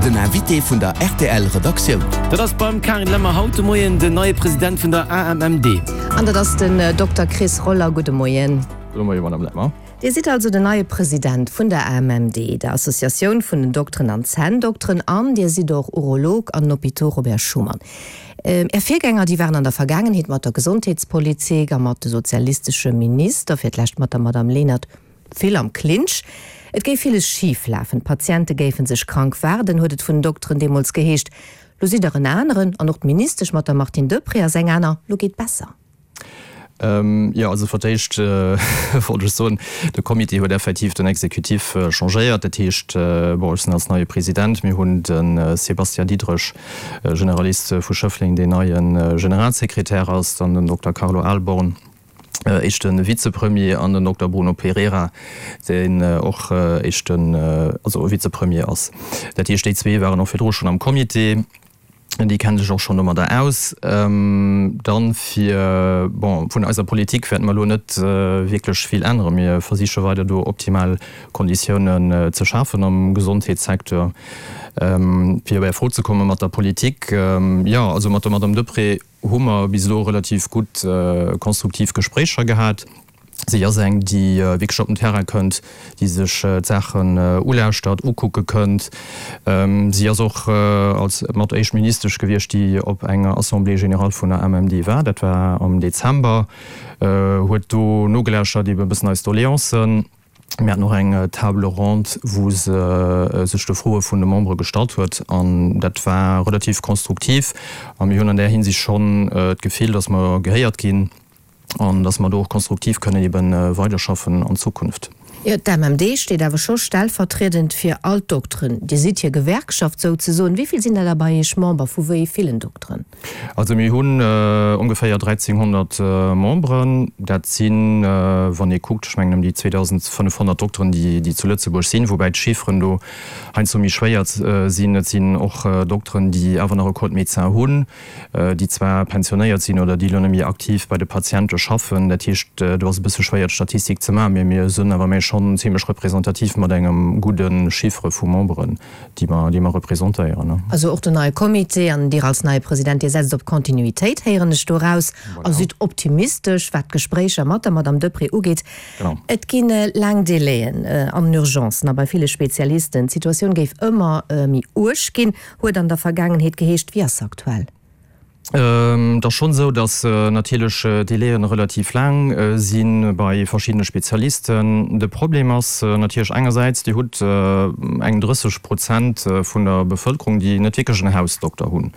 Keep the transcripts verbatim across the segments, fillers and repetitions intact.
Den Invité vun der rtl Redaktioun. Dat ass beim Carine Lemmer haut de Moien den neie President vun der AMMD. An dat ass den Dokter Chris Roller. Gudde Moien. Gudde Moien, Madame Lemmer. Dir sidd also den neie President vun der AMMD, der Associatioun vun den Dokteren an Zänndokteren, an Dir sidd och Urolog an den Hôpitaux Robert Schuman. Är Virgänger, déi waren an der Vergaangenheet mat der Gesondheetspolitik a mat de sozialistesche Minister, fir d'lescht mat der Madame Lenert, vill am Clinch. Et géif villes schif lafen, d'Patiente géife sech krank waarden, huet et vun den Dokteren deemools geheescht. Lo sidd Der en aneren, an och d'Ministesch mat der Martine Deprez ass eng aner. Lo geet besser. Jo, also fir d'éischt wollt ech soen, de Comité huet effektiv den Exécutif changéiert. Dat heescht, bon, ech sinn als neie President, mir hunn de Sébastien Diderich, Generalist vu Schëffleng, deen neie Generalsekretär ass, dann den Dokter Carlo Ahlborn, éischte Vizepremier, an den Dokter Bruno Pereira, deen och éischten, also Vizepremier ass. Dat heescht, déi zwee waren och virdru schonn am Comité. Déi kenne sech och schonn domadder aus. Dann fir, bon, vun eiser Politik wäerte mer elo net wierklech vill änneren. Mir versiche weider do optimal Konditiounen ze schafen am Gesondheetssecteur. Fir op Är Fro ze komme mat der Politik, jo, also mat der Madame Deprez hu mer bis elo relativ gutt konstruktiv Gespréicher gehat. Si ass eng, déi wierklech op den Terrain kënnt, déi sech d'Saachen ulauschtert, ukucke kënnt. Si ass och als mat éischt Ministesch gewiescht, déi op enger Assemblée générale vun der AMMD war. Dat war am Dezember. Huet do nogelauschtert, ebe bëssen eis Doleancen. Mir haten och eng Table ronde, wou se sech de Froe vun de Membere gestallt huet. An dat war relativ konstruktiv. A mir hunn an där Hinsicht schonn d'Gefill, datt mer gehéiert ginn. An dass mer do och konstruktiv kënnen ebe weiderschaffen an Zukunft. Jo, d'AMMD steet awer scho stellvertriedend fir all d'Dokteren. Dir sidd hir Gewerkschaft souzesoen. Wéi vill sinn der da bei Iech Member? Vu wéi villen Dokteren? Also mir hunn ongeféier dräizénghonnert Memberen. Dat sinn, wann ee kuckt, ech mengen ëm déi zweedausendfënnefhonnert Dokteren, déi zu Lëtzebuerg sinn, woubäi d'Chifferen do heiansdo méi schwéier sinn. Et sinn och Dokteren, déi awer nach e Code médecin hunn. déi zwar pensionéiert sinn oder déi elo net méi aktiv bei de Patiente schaffen. Dat heescht, do ass e bësse schwéier d'Statistik ze maachen, mee mir sënn awer méi schonn zimlech representativ mat engem gudde Chiffre vu Memberen, déi mer, déi mer representéieren. Also och den neie Comité an Dir als neie President, Dir setzt op Kontinuitéit, héieren ech do eraus, a sidd optimistesch, wat d'Gespréicher mat der Madame Deprez ugeet. Et gi laang Délaiën an den Urgencen a bei ville Spezialisten. D'Situatioun géif ëmmer méi uerg ginn, huet an der Vergaangenheet geheescht. Wéi ass se aktuell? Et ass schonn esou, datt natierlech d'Délaië relativ laang si bei verschiddene Spezialisten. De Problem ass natierlech engersäits, Dir hutt eng drësseg Prozent vun der Bevëlkerung, déi net wierklech en Hausdokter hunn.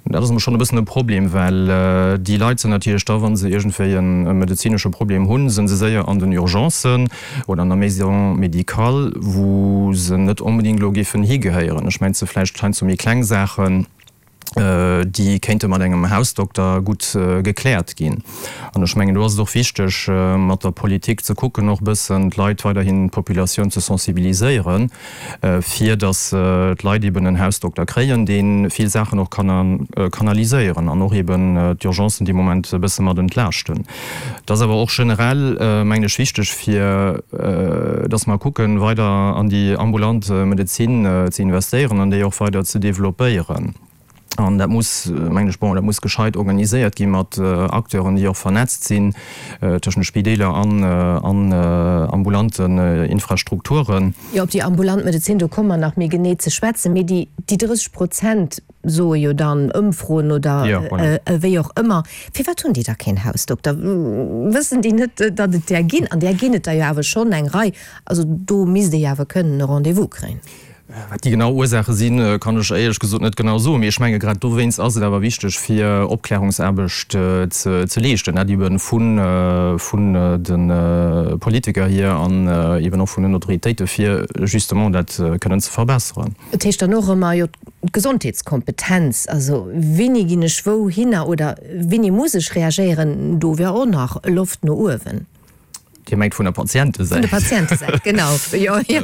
Dat ass emol schonn e bëssen e Problem, well déi Leit sinn natierlech da, wa se iergendwéi e medezinesche Problem hunn, sinn se séier an den Urgencen oder an der Maison médicale, wou se net onbedéngt elo géifen higehéieren. Ech mengen, et si vläicht heiansdo méi kleng Saachen, déi kéinte mat engem Hausdokter gutt gekläert ginn. An ech mengen, do ass et och wichteg, mat der Politik ze kucken, och e bëssen d'Leit weiderhin, d'Populatioun ze sensibiliséieren, fir datt d'Leit eben en Hausdokter kréien, dee vill Saachen och kann kanaliséieren an och eben d'Urgencen dee Moment e bësse mat entlaaschten. Et ass awer och generell, mengen ech, wichteg, fir datt mer kucken, weider an déi ambulant Medezin ze investéieren an déi och weider ze developpéieren. An dat muss, mengen ech, bon, dat muss gescheit organiséiert gi mat Acteuren, déi och vernetzt sinn tëschent de Spideeler an an ambulanten Infrastrukturen. Jo, op déi ambulant Medezin, do komme mer nach méi genee ze schwätzen. Mee déi déi drësseg Prozent soe jo dann Ëmfroen oder wéi och ëmmer. Firwat hunn déi da keen Hausdokter? Wëssen déi net, datt et där ginn? An där ginn et der jo awer schonn eng Rei. Also do misst ee jo awer kënnen e Rendez-vous kréien. Wat déi genau Ursaache sinn, kann ech éierlech gesot net genau soen. Mee ech menge grad dowéinst ass et awer wichteg, fir Opklärungsaarbecht ze leeschten, dat ebe vun de Politiker hier an eben och vun den Autoritéite fir justement dat kënnen ze verbesseren. Et heescht dann och ëmmer, jo, d'Gesondheetskompetenz, also wéini ginn ech wouhinner oder wéini muss ech reagéieren, do wär och nach Loft no uewen. Dir mengt vun der Patientesäit? Vun der Patientesäit, genau. Jo, jo.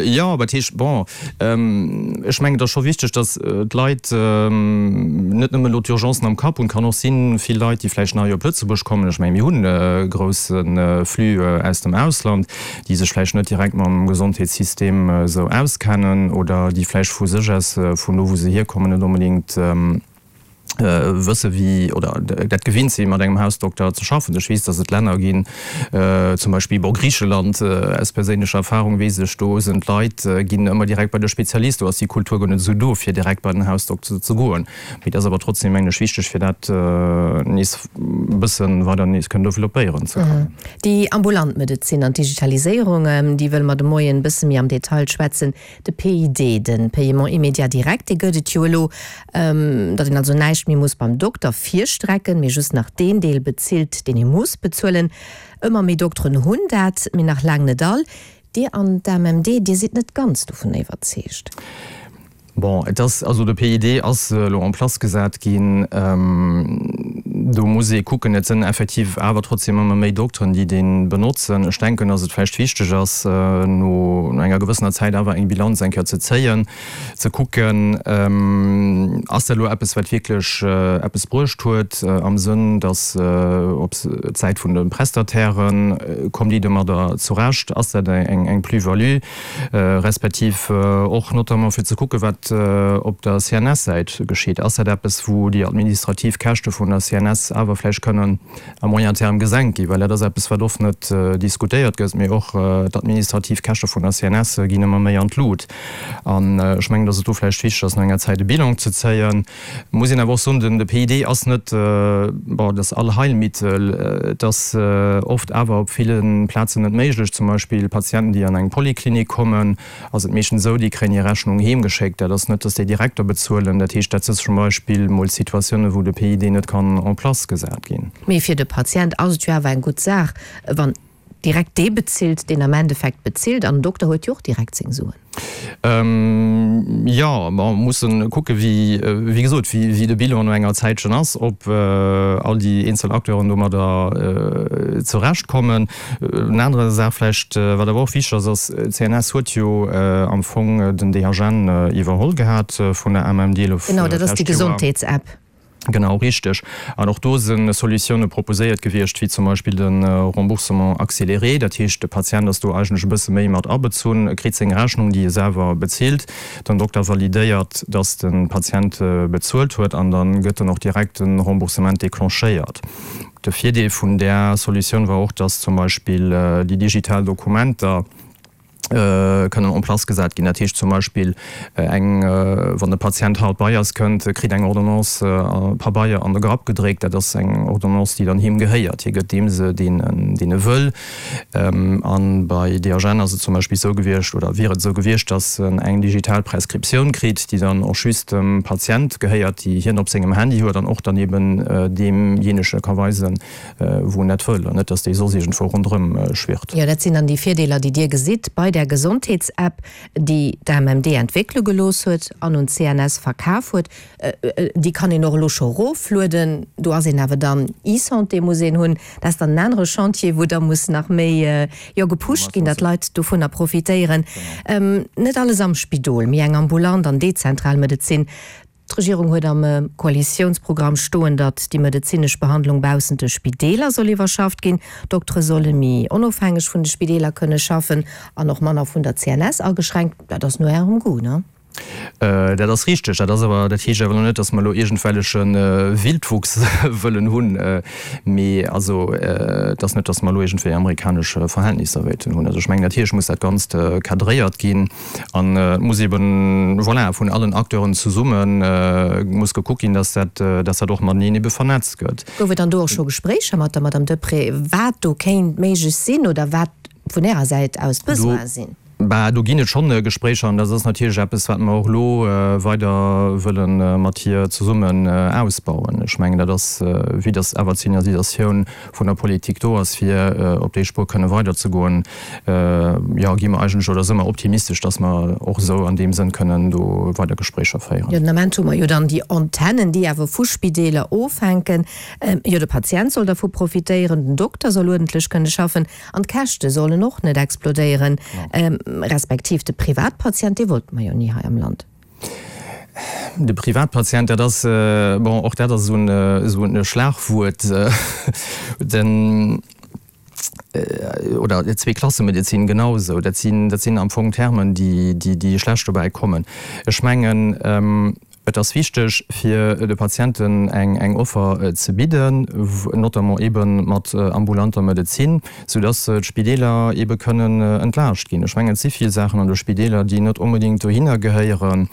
Jo, dat heescht, bon, ech mengen, et ass scho wichteg, datt d'Leit net nëmmen elo d'Urgencen am Kapp hunn. Et kann och sinn, vill Leit, déi vläicht nei op Lëtzebuerg kommen, ech mengen, mir hunn e grousse Flux aus dem Ausland, déi sech vläicht net direkt mam Gesondheetssystem esou auskennen oder déi vläicht vu sech aus, vun do wou se hierkommen, net onbedéngt wësse wéi oder dat gewinnt si mat engem Hausdokter ze schaffen. Ech weess, datt et Länner ginn, zum Beispill bon Griicheland, aus perséinlecher Erfahrung weess ech, do sinn d'Leit ginn ëmmer direkt bei de Spezialist, do ass déi Kultur guer net esou do fir direkt bei den Hausdokter ze goen. Mee et ass awer trotzdem mengen ech wichteg fir dat nees e bësse weider nees kënnen developpéieren ze kënnen. Déi ambulant Medezin an d'Digitaliséierung, déi wëlle mer de Moien e bësse méi am Detail schwätzen. De P I D, de Paiement immédiat direct, dee gëtt et jo elo, datt een also näischt méi muss beim Dokter virstrecken, mee just nach deen Deel bezilt, deen ee muss bezuelen. Ëmmer méi Dokteren hunn dat, mee nach laang net all. Dir an d'A M M D, Dir sidd net ganz dovun iwwerzeegt. Bon, et ass, also de P I D ass elo en place gesat ginn. Do muss ee kucken, et sinn effektiv awer trotzdem ëmmer méi Dokteren, déi dee benotzen. Ech denken, datt et vläicht wichteg ass, no enger gewëssener Zäit awer eng Bilanz eng Kéier ze zéien, ze kucken, ass dat elo eppes, wat wierklech eppes bruecht huet, am Sënn, datt op d'Säit vun de Prestatairen, kommen déi domadder zurecht, ass dat eng Plus-value, respektiv och notamment fir ze kucken, wat op der C N S-Säit geschitt. Ass dat eppes, wou déi administrativ Käschte vun der C N S awer vläicht kënnen à moyen terme gesenkt ginn? Well dat ass eppes, wat oft net diskutéiert gëtt, mee och d'administrativ Käschte vun der C N S ginn ëmmer méi an d'Lut. An ech mengen, datt et do vläicht wichteg ass, no enger Zäit e Bilan ze zéien. Muss een awer och soen, de P I D ass net, bon, das Allheilmittel. Et ass oft awer op ville Plazen net méiglech. Zum Beispill Patienten, déi an eng Poliklinik kommen, ass et meeschtens esou, déi kréien hir Rechnung heem geschéckt. Dat ass net, datt déi direkt do bezuelen. Dat heescht, dat si zum Beispill mol Situatiounen, wou de P I D net kann en place gesat ginn. Mee fir de Patient ass et jo awer eng gutt Saach, wann direkt dee bezilt, deen am Endeffekt bezilt, an den Dokter huet jo och direkt seng Suen. Jo, mer mussen kucke wéi, wéi gesot, wéi de Bilan no enger Zäitchen ass, ob all déi eenzel Acteuren domadder zurecht kommen. En anere Saach vläicht, wat awer och wichteg ass, ass, d'C N S huet jo am Fong den D H N iwwerholl gehat vun der A M M D elo Genau, dat ass déi d'lescht Joer. Gesondheets-App. Genau, richteg. An och do si Solutioune proposéiert gewiescht, wéi zum Beispill de Remboursement accéléré. Dat heescht, de Patient ass do eigentlech e bësse méi mat abezunn, e kritt seng Rechnung, déi e selwer bezilt. Den Dokter validéiert, dass de Patient bezuelt huet, an da gëtt dann och direkt de Remboursement déclenchéiert. De Virdeel vun där Solutioun war och, dass zum Beispill déi digital Dokumenter kënnen en place gesat ginn. Dat heescht zum Beispill eng, wann de Patient haut bei eis kënnt, kritt eng Ordonnance a Pabeier an de Grapp gedréckt. Dat ass eng Ordonnance, déi dann him gehéiert. Hie gëtt deem se, deen en, deen e wëll. An bei D H N ass et zum Beispill esou gewiescht oder wier et esou gewiescht, dass en eng digital Prescriptioun kritt, déi dann och just dem Patient gehéiert, déi hien op sengem Handy huet an och dann eben deemjéinege ka weisen, wou en dat wëll, an net, dass déi soss iergendwou ronderëm schwirrt. Jo, dat sinn dann déi Virdeeler, déi Dir gesitt bei där Gesondheets-App, déi d'A M M D entwéckele gelooss huet an un d'C N S verkaf huet. Déi kann een och elo scho eroflueden. Do ass een awer dann, eSanté muss een hunn. Dat ass dann en anere Chantier, wou da muss nach méi, jo, gepusht ginn, datt d'Leit dovunner profitéieren. Net alles am Spidol, méi eng ambulant an dezentral Medezin. D'Regierung huet am Koalitiounsprogramm stoen, datt déi medezinesch Behandlung baussent de Spideeler soll iwwerschafft ginn. D'Doktere solle méi onofhängeg vun de Spideeler kënne schaffen an och manner vun der C N S ageschränkt. Dat ass no Ärem Goût, ne? Dat ass richteg. Dat ass awer, dat heescht awer elo net, datt mer elo iergendwelleche Wildwuchs wëllen hunn. Mee also et ass net, datt mer elo iergendwéi amerikanesch Verhältnisser wéilten hunn. Also ech mengen, natierlech muss dat Ganzt cadréiert ginn an et muss eben, voilà, vun allen Acteuren zesumme muss gekuckt ginn, datt dat, datt dat och mateneen ebe vernetzt gëtt. Gouf et dann do och scho Gespréicher mat der Madame Deprez, wat do kéint méiglech sinn oder wat vun Ärer Säit aus d'Besoine sinn? Bah, do ginn et schonn Gespréicher an dat ass natierlech eppes, wat mer och elo weider wëlle mat hir zesummen ausbauen. Ech mengen, dat ass, vue dass awer d'Signalisatioun vun der Politik do ass, fir op déi Spuer kënne weiderzegoen, jo, gi mer eigentlech oder si mer optimistesch, dass mer och esou an deem Sënn kënnen do weider Gespréicher féieren. Jo, den Ament hu mer jo dann déi Antennen, déi awer vu Spideeler ofhänken. Jo, de Patient soll dervu profitéieren, den Dokter soll uerdentlech kënne schaffen an d'Käschte sollen och net explodéieren, respektiv de Privatpatient, dee wollte mer jo ni hei am Land. De Privatpatient, dat ass, bon, och dat ass esou en Schlagwuert, den, oder Zweeklassemedezin genau esou, dat sinn, dat sinn am Fong Termen, déi, déi schlecht dobäi kommen. Ech mengen, Et ass wichteg, fir de Patienten eng Offer ze bidden, notamment ebe mat ambulanter Medezin, soudass d'Spideeler ebe kënnen entlaascht ginn. Ech mengen, et si vill Saachen an de Spideeler, déi net onbedéngt dohinner gehéieren,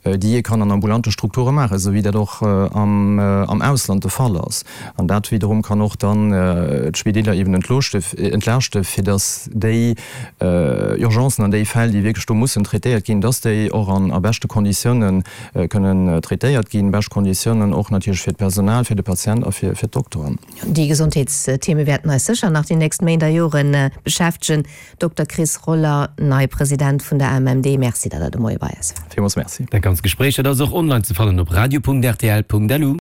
déi ee kann an ambulante Strukture maachen, esou wéi dat och am Ausland de Fall ass. An dat wiederum kann och dann d'Spideeler eben entlaaschten, fir dass déi Urgencen an déi Fäll, déi wierklech do mussen traitéiert ginn, dass déi och an a beschte Konditiounen kënnen traitéiert ginn, bescht Konditiounen och natierlech fir d'Personal, fir de Patient a fir d'Dokteren. Déi Gesondheetstheme wäerten eis sécher nach déi nächst Méint a Jore beschäftegen. Dokter Chris Roller, neie President vun der AMMD, Merci, datt Der de Moie bei eis waart. Villmools Merci. Dat ganzt Gespréich, dat ass och online ze fannen op radio.rtl.lu.